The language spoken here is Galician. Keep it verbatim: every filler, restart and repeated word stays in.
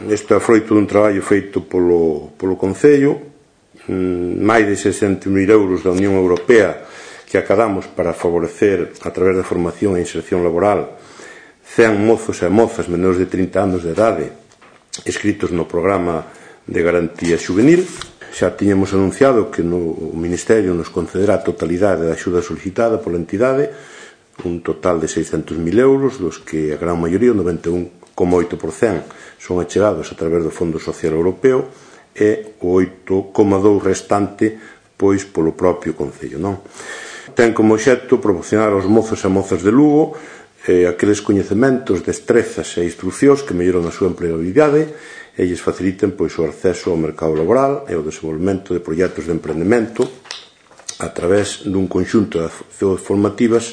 Isto é froito dun traballo feito polo, polo Concello, máis de seiscentos mil euros da Unión Europea que acadamos para favorecer, a través da formación e inserción laboral, cen mozos e mozas menores de trinta anos de idade inscritos no programa de garantía juvenil. Xa tiñamos anunciado que no Ministerio nos concederá a totalidade da axuda solicitada pola entidade, un total de seiscentos mil euros, dos que a gran maioría, o noventa e un coma oito por cento, son achegados a través do Fondo Social Europeo e o oito coma dous por cento restante pois polo propio Concello, non? Ten como obxecto proporcionar aos mozos e mozas de Lugo eh, aqueles coñecementos, destrezas e instruccións que melloran a súa empregabilidade e lles faciliten pois, o acceso ao mercado laboral e o desenvolvemento de proxectos de emprendemento a través dun conxunto de accións formativas